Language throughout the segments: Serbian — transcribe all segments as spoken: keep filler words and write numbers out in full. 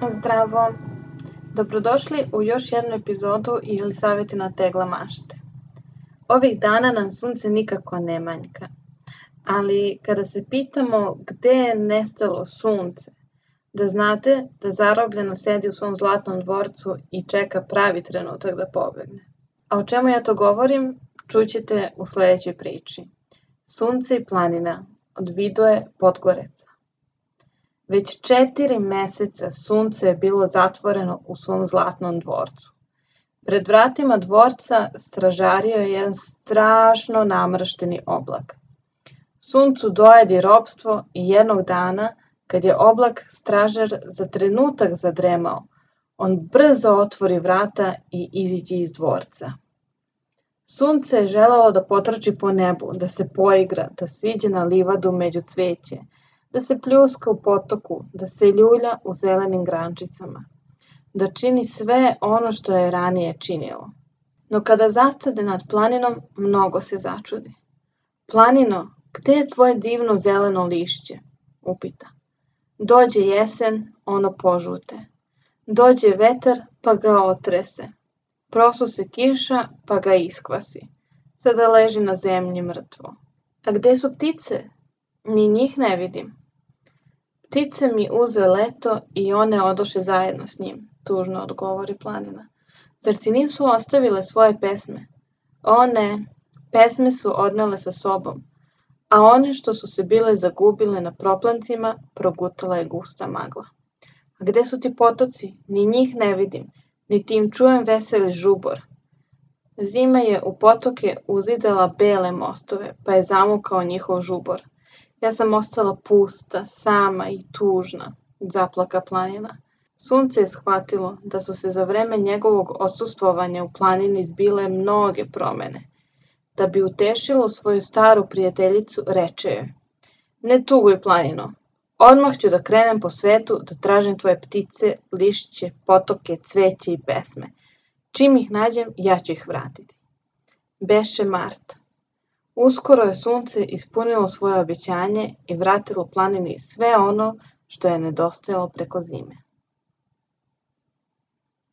Zdravo! Dobrodošli u još jednu epizodu ili savjetima Tegla mašte. Ovih dana nam sunce nikako ne manjka, ali kada se pitamo gde je nestalo sunce, da znate da zarobljeno sedi u svom zlatnom dvorcu i čeka pravi trenutak da pobegne. A o čemu ja to govorim, čućete u sledećoj priči. Sunce i planina od Vidoje Podgoreca. Već četiri meseca sunce je bilo zatvoreno u svom zlatnom dvorcu. Pred vratima dvorca stražario je jedan strašno namršteni oblak. Suncu dojedi ropstvo i jednog dana, kad je oblak stražar za trenutak zadremao, on brzo otvori vrata i iziđe iz dvorca. Sunce je želelo da potrči po nebu, da se poigra, da siđe na livadu među cveće, da se pljuska u potoku, da se ljulja u zelenim grančicama, da čini sve ono što je ranije činilo. No kada zastade nad planinom, mnogo se začudi. Planino, gde je tvoje divno zeleno lišće? Upita. Dođe jesen, ono požute. Dođe vetar, pa ga otrese. Prosu se kiša, pa ga iskvasi. Sada leži na zemlji mrtvo. A gde su ptice? Ni njih ne vidim. Ptice mi uze leto i one odoše zajedno s njim, tužno odgovori planina. Zar ti nisu ostavile svoje pesme? O ne, pesme su odnele sa sobom, a one što su se bile zagubile na proplancima, progutala je gusta magla. A gde su ti potoci? Ni njih ne vidim, niti im čujem veseli žubor. Zima je u potoke uzidala bele mostove, pa je zamukao njihov žubor. Ja sam ostala pusta, sama i tužna, zaplaka planina. Sunce je shvatilo da su se za vreme njegovog odsustvovanja u planini zbile mnoge promene. Da bi utešilo svoju staru prijateljicu, reče joj: Ne tuguj, planino, odmah ću da krenem po svetu da tražim tvoje ptice, lišće, potoke, cveće i pesme. Čim ih nađem, ja ću ih vratiti. Beše mart. Uskoro je sunce ispunilo svoje obećanje i vratilo planini sve ono što je nedostajalo preko zime.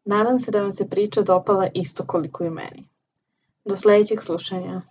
Nadam se da vam se priča dopala isto koliko i meni. Do sledećeg slušanja.